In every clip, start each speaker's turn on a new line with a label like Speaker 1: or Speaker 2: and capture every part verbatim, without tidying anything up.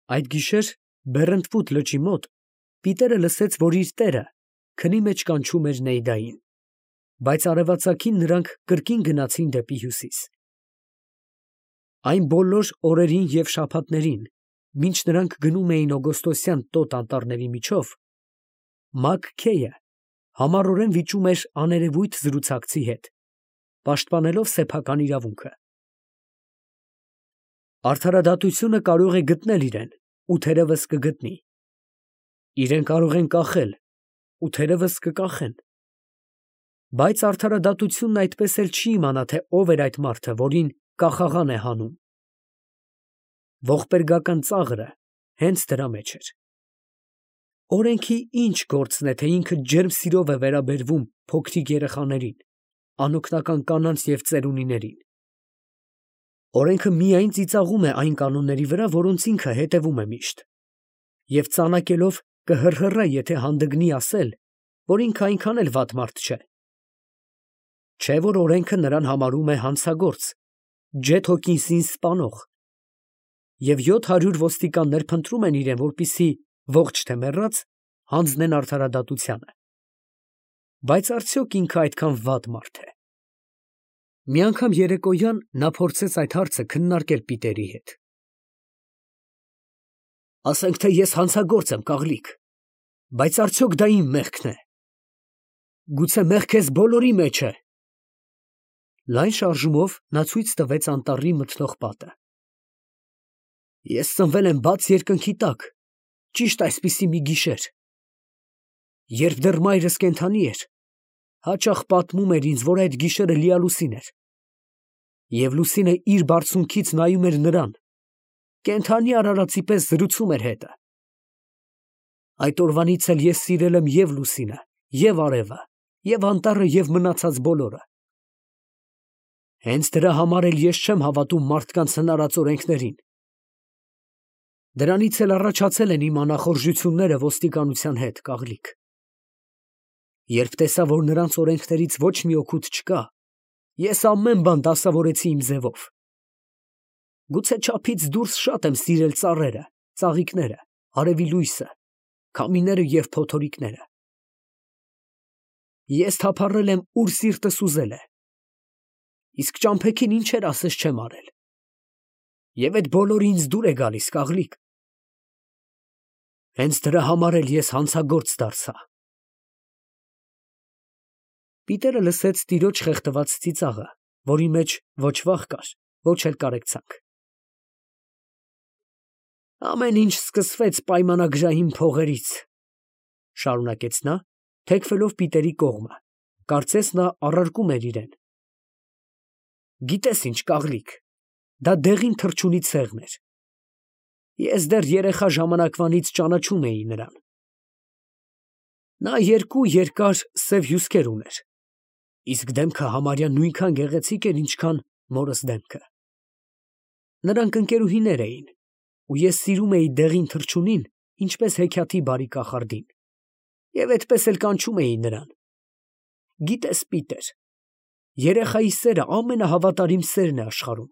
Speaker 1: Այդ գիշեր Բեռնտվուդ լճի մոտ Պիտերը լսեց, որ իր տերը քնի մեջ կանչում էր Նեյդային, բայց արևածագին նրանք կրկին գնացին դեպի հյուսիս։ Այն բոլոր օրերին և շաբաթներին, մինչ նրանք գնում էին օգոստոսյան տոտ անտառների միջով, Մակ Քեյը համառորեն վիճում էր աներևույթ զրուցակցի հետ, պաշտպանելով սեփական իրավունքը։ Արդարադատությունը կարող է գտնել իրեն ու թերևս կգտնի. իրեն կարող են կախել ու թերևս կկախեն, բայց արդարադատությունն այդպես էլ չի իմանա, թե ով էր այդ մարդը, որին կախաղան է հանում։ Ողբերգական ծաղրը հենց դրա մեջ էր։ Օրենքի ինչ գործն է, թե ինքը ջերմ սիրով է վերաբերվում փոքրիկ երեխաներին, անօգնական կանանց և ծերունիներին։ Օրենքը միայն ծիծաղում է այն կանոնների վրա, որոնց ինքը հետևում է միշտ, և ծանակելով կհռհռա, եթե հանդգնի ասել, որ ինքը այնքան էլ վատ մարդ չէ։ Չէ՞ որ օրենքը նրան համարում է հանցագործ, Ջեթ Հոքինսին սպանող, և յոթ հարյուր ոստիկաններ փնտրում են իրան, որպեսզի ողջ թե մեռած հանձնեն արդարադատությանը։ Բայց արդյոք ինքը այդքան վատ մարդ է։ Մի անգամ երեկոյան նա փորձեց այդ հարցը քննարկել Պիտերի հետ։ Ասենք, թե ես հանցագործ եմ, կաղլիկ, բայց արդյոք դա իմ մեղքն է։ Գուցե մեղքերս բոլորի մեջ է։ Լայն շարժումով նա ցույց տվեց անտառի մթնող պատը։ Ես ծնվել եմ բաց երկնքի տակ, ճիշտ այսպիսի մի գիշեր։ Երբ դեռ մայրս կենդանի էր, հաճախ պատմում էր ինձ, որ այդ գիշերը լիալուսին էր, և լուսինը իր բարձունքից նայում էր նրան, կենդանի արարածի պես զրուցում էր հետը։ Այդ օրվանից էլ ես սիրել եմ և լուսինը, և արևը, և անտառը, և մնացած բոլորը։ Հենց դրա համար էլ ես չեմ հավատում մարդկանց հնարած օրենքներին։ Դրանից էլ առաջացել են իմ անախորժությունները ոստիկանության հետ, կաղլիկ։ Երբ տեսա, որ նրանց օրենքներից ոչ մի օգուտ չկա, ես ամեն բան դասավորեցի իմ ձևով։ Գուցե չափից դուրս շատ եմ սիրել ծառերը, ծաղիկները, արևի լույսը, քամիները և փոթորիկները։ Ես թափառել եմ, ուր սիրտս ուզել է, իսկ ճամփեքին ինչեր ասես չեմ արել։ Եվ այդ բոլորը ինձ դուր է գալիս, կաղլիկ։ Հենց դրա համար էլ ես հանցագործ դարձա։ Պիտերը լսեց տիրոջ խեղդված ծիծաղը, որի մեջ ոչ վախ կար, ոչ էլ կարեկցանք։ Ամեն ինչ սկսվեց պայմանագրային փողերից, շարունակեց նա, թեքվելով Պիտերի կողմը, կարծես նա առարկում էր իրան։ Գիտես ինչ, կաղլիկ, դա դեղին թռչունի ցեղն էր։ Ես դեռ երեխա ժամանակվանից ճանաչում էի նրան։ Նա երկու երկար սև հյուսկեր ուներ, իսկ դեմքը համարյա նույնքան գեղեցիկ էր, ինչքան մորս դեմքը։ Նրանք ընկերուհիներ էին, ու ես սիրում էի դեղին թռչունին, ինչպես հեքիաթի բարի կախարդին, և այդպես էլ կանչում էի նրան։ Գիտես, Պիտեր, երեխայի սերը ամենահավատարիմ սերն է աշխարհում,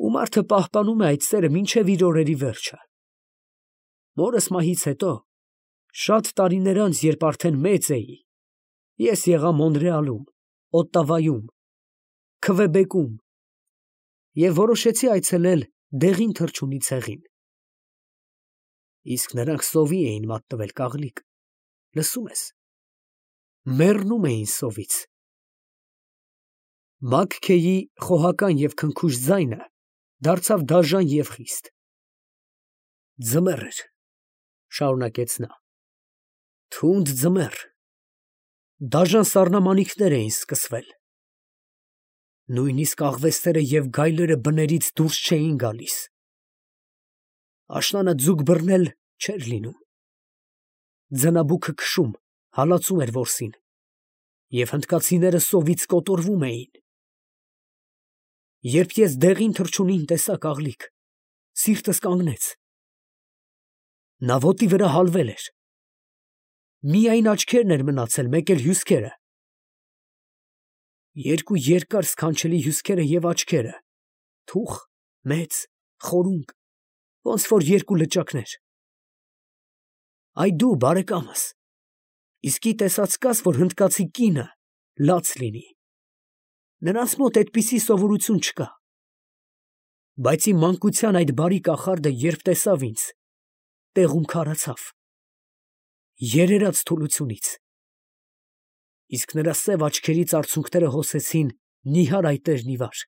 Speaker 1: ու մարդը պահպանում է այդ սերը մինչև իր օրերի վերջը։ Մորս մահից հետո, շատ տարիներ անց, երբ արդեն մեծ էի, ես եղա Մոնրեալում, Օտտավայում, Քվեբեկում և որոշեցի այցելել դեղին թռչունի ցեղին։ Իսկ նրանք սովի էին մատնվել, կաղլիկ, լսո՞ւմ ես, մեռնում էին սովից։ Մակ Քեյի խոհական և քնքուշ ձայնը դարձավ դաժան և խիստ։ Ձմեռ էր, շարունակեց նա, թունդ ձմեռ, դաժան սառնամանիքներ էին սկսվել։ Նույնիսկ աղվեսները և գայլերը բներից դուրս չէին գալիս։ Աշնանը ձուկ բռնել չէր լինում։ Ձնաբուքը քշում, հալածում էր որսին, և հնդկացիները սովից կոտորվում էին։ Երբ ես դեղին թռչունին տեսա, կաղլիկ, սիրտս կանգնեց։ Նա ոտի վրա հալվել էր։ Միայն աչքերն էր մնացել, մեկ էլ հյուսքերը։ Երկու երկար սքանչելի հյուսքերը և աչքերը, թուխ, մեծ, խորունկ, ոնց որ երկու լճակներ։ Այ դու, բարեկամս, իսկի տեսած կաս, որ հնդկացի կինը լաց լինի։ Նրանց մոտ այդպիսի սովորություն չկա։ Բայց իմ մանկության այդ բարի կախարդը, երբ տեսավ ինձ, տեղում քարացավ, երերաց թուլությունից, իսկ նրա սև աչքերից արցունքները հոսեցին նիհար այտեր նիվար։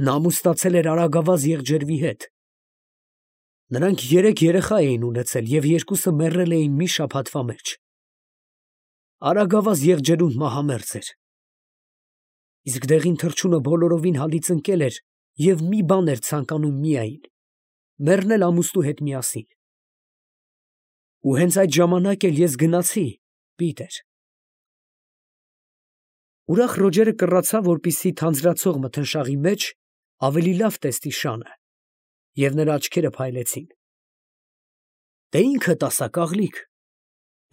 Speaker 1: Նա ամուսնացել էր արագավազ եղջերվի հետ։ Նրանք երեք երեխա էին ունեցել և երկուսը մեռել էին մի շաբաթվա մեջ։ Արագավազ եղջերուն մահամերձ էր։ Իսկ դեղին թռչունը բոլորովին հալից ընկել էր և մի բան էր ցանկանում միայն՝ մեռնել ամուսնու հետ միասին։ Ու հենց այդ ժամանակ էլ ես գնացի, Պիտեր։ Ուրախ Ռոջերը կռացավ, որպեսզի թանձրացող մթնշաղի մեջ ավելի լավ տեսնի շանը, և նրա աչքերը փայլեցին։ Դե ինքդ ասա, կաղլիկ,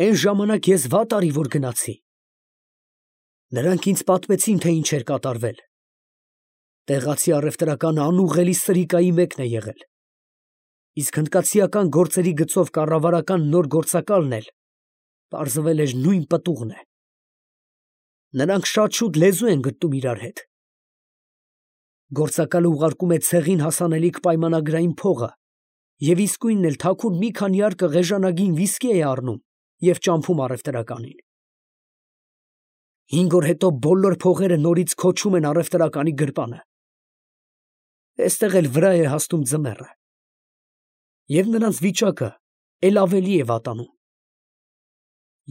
Speaker 1: էն ժամանակ ես վատ արի, որ գնացի։ Նրանք ինձ պատմեցին, թե ինչ էր կատարվել։ Տեղացի առևտրականը անուղղելի սրիկայի մեկն է եղել, իսկ հնդկացիական գործերի գծով կառավարական նոր գործակալն էլ պարզվել էր նույն պտուղն է։ Նրանք շատ շուտ լեզու են գտնում իրար հետ։ Գործակալը ուղարկում է ցեղին հասանելիք պայմանագրային փողը և իսկույնն էլ թաքուն մի քանի արկղ էժանագին վիսկի է առնում և ճամփում առևտրականին։ Հինգ օր հետո բոլոր փողերը նորից քոչում են առևտրականի գրպանը։ Էստեղ էլ վրա է հասնում ձմեռը։ Եվ նրանց վիճակը էլ ավելի է վատանում։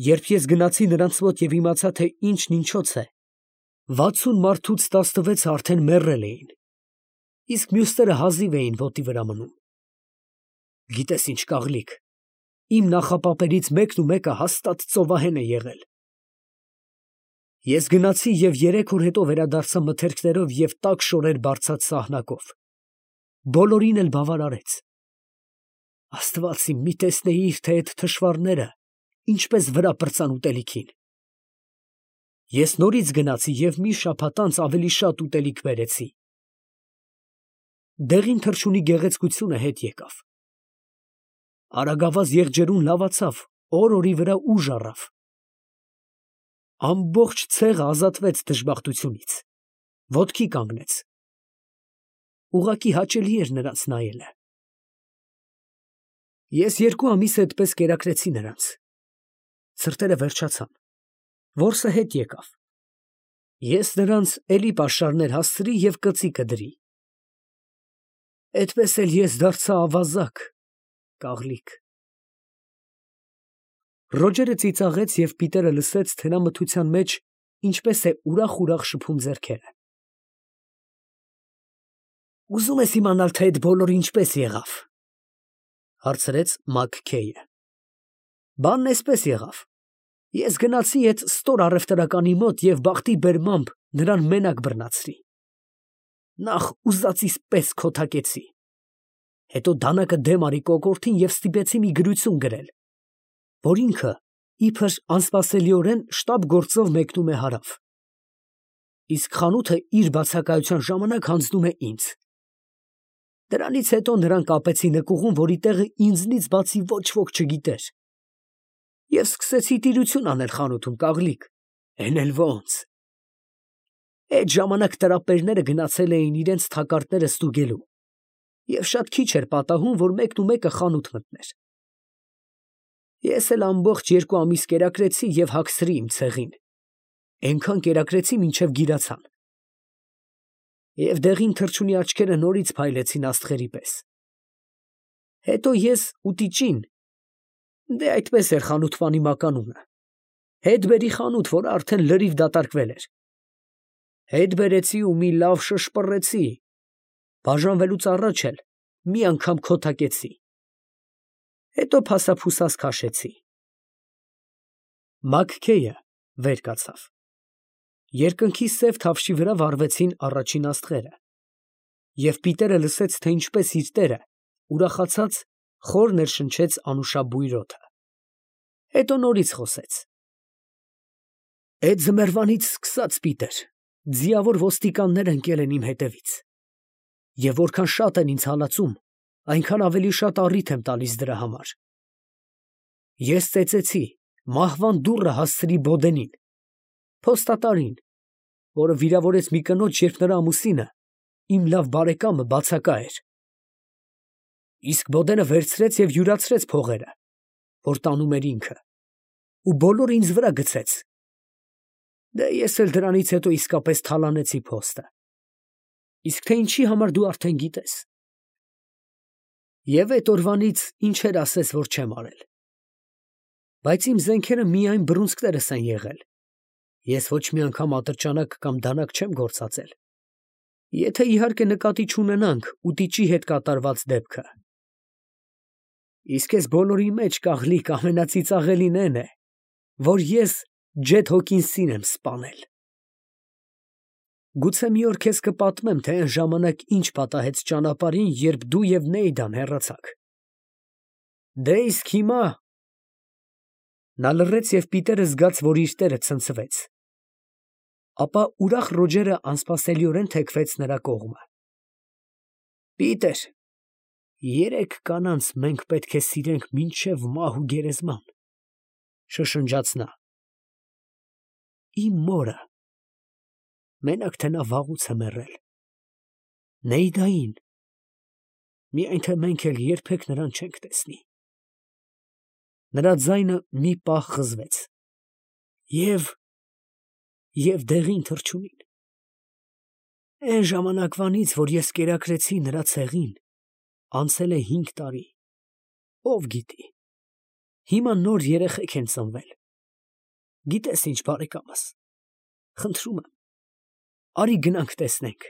Speaker 1: Երբ ես գնացի նրանց մոտ և իմացա, թե ինչն ինչոց է, վաթսուն մարդուց տասնվեցը արդեն մեռել էին, իսկ մյուսները հազիվ էին ոտի վրա մնում։ Գիտես ինչ, կաղլիկ, իմ նախապապերից մեկն ու մեկը հաստատ ծովահեն է եղել։ Ես գնացի և երեք օր հետո վերադարձա մթերքներով և տաք շորեր բարձած սահնակով։ Բոլորին էլ բավարարեց։ Աստված իմ, մի տեսնեիր, թե այդ թշվառները ինչպես վրա պրծան ուտելիքին։ Ես նորից գնացի և մի շաբաթ անց ավելի շատ ուտելիք բերեցի։ Դեղին թռչունի գեղեցկությունը հետ եկավ։ Արագավազ եղջերուն լավացավ, օր֊օրի վրա ուժ առավ։ Ամբողջ ցեղը ազատվեց դժբախտությունից, ոտքի կանգնեց։ Ուղղակի հաճելի էր նրանց նայելը։ Ես երկու ամիս այդպես կերակրեցի նրանց։ Ցրտերը վերջացան, որսը հետ եկավ։ Ես նրանց էլի պաշարներ հասցրի և կծիկը դրի։ Էդպես էլ ես դարձա ավազակ, կաղլիկ։ Ռոջերը ծիծաղեց և Պիտերը լսեց, թե նա մթության մեջ ինչպես է ուրախ֊ուրախ շփում ձեռքերը։ Ուզում ես իմանալ, թե այդ բոլորը ինչպես եղավ, ֊ հարցրեց Մակքեյը։ Բանն էսպես եղավ. ես գնացի էդ ստոր առևտրականի մոտ և բախտի բերմամբ նրան մենակ բռնացրի։ Նախ ուզածիս պես քոթակեցի, հետո դանակը դեմ արի կոկորդին և ստիպեցի մի գրություն գրել, որ ինքը իբր անսպասելիորեն շտապ գործով մեկնում է հարավ, իսկ խանութը իր բացակայության ժամանակ հանձնում է ինձ։ Դրանից հետո նրան կապեցի նկուղում, որի տեղը ինձնից բացի ոչ ոք չգիտեր, և սկսեցի տիրություն անել խանութում, կաղլիկ, էն էլ ոնց։ Էդ ժամանակ տրապերները գնացել էին իրենց թակարդները ստուգելու, և շատ քիչ էր պատահում, որ մեկն ու մեկը խանութ մտներ։ Ես էլ ամբողջ երկու ամիս կերակրեցի և հագցրի իմ ցեղին, էնքան կերակրեցի, մինչև գիրացան։ Եվ դեղին թռչունի աչքերը նորից փայլեցին աստղերի պես։ Հետո ես ու տիճին, դե այդպես էր խանութվանի մականունը, հետ բերի խանութ, որը արդեն լրիվ դատարկվել էր, հետ բերեցի ու մի լավ շշպռեցի, բաժանվելուց առաջ էլ մի անգամ քոթակեցի, հետո փասափուսաս քաշեցի։ Մակքեյը վեր կացավ։ Երկնքի սև թավշի վրա վառվեցին առաջին աստղերը, և Պիտերը լսեց, թե ինչպես իր տերը ուրախացած խոր ներշնչեց անուշաբույր օդը։ Հետո նորից խոսեց. Էդ ձմեռվանից սկսած, Պիտեր, ձիավոր ոստիկաններ ընկել են իմ հետևից, և որքան շատ են ինձ հալածում, այնքան ավելի շատ առիթ եմ տալիս դրա համար։ Ես ծեծեցի, մահվան դուռը հասցրի Բոդենին, փոստատարին, որը վիրավորեց մի կնոջ, երբ նրա ամուսինը, իմ լավ բարեկամը, բացակա էր։ Իսկ Բոդենը վերցրեց և յուրացրեց փողերը, որ տանում էր ինքը, ու բոլորը ինձ վրա գցեց։ Դե ես էլ դրանից հետո իսկապես թալանեցի փոստը։ Իսկ թե ինչի համար դու արդեն գիտես։ Եվ այդ օրվանից ինչեր ասես, որ չեմ արել։ Բայց իմ զենքերը միայն բռունցքներս են եղել։ Ես ոչ մի անգամ ատրճանակ կամ դանակ չեմ գործածել։ Եթե իհարկե նկատի չունենանք ուտիչի հետ կատարված դեպքը։ Իսկ ես բոլորի մեջ կաղլիկ ամենածիծաղելին էն է, որ ես Ջեթ Հոքինսին եմ սպանել։ Գուցե մի օր քեզ կպատմեմ, թե այն ժամանակ ինչ պատահեց ճանապարհին, երբ դու և Նեյդան հեռացաք։ Դե իսկ հիմա… Նա լռեց և պիտերը զգաց, որ իր տերը ցնցվեց։ Ապա ուրախ Ռոջերը անսպասելիորեն թեքվեց նրա կողմը։ Պիտեր, երեք կանանց մենք պետք է սիրենք մինչև մահ ու գերեզման, շշնջաց նա։ Իմ մորը, մենակ թե նա վաղուց է մեռել, Նեյդային, միայն թե մենք էլ երբեք նրան չենք տեսնի։ Նրա ձայնը մի պահ խզվեց։ Եվ… և դեղին թռչունին։ Էն ժամանակվանից, որ ես կերակրեցի նրա ցեղին, անցել է հինգ տարի, ով գիտի, հիմա նոր երեխեք են ծնվել։ Գիտես ինչ, բարեկամս, խնդրում եմ, արի գնանք տեսնենք։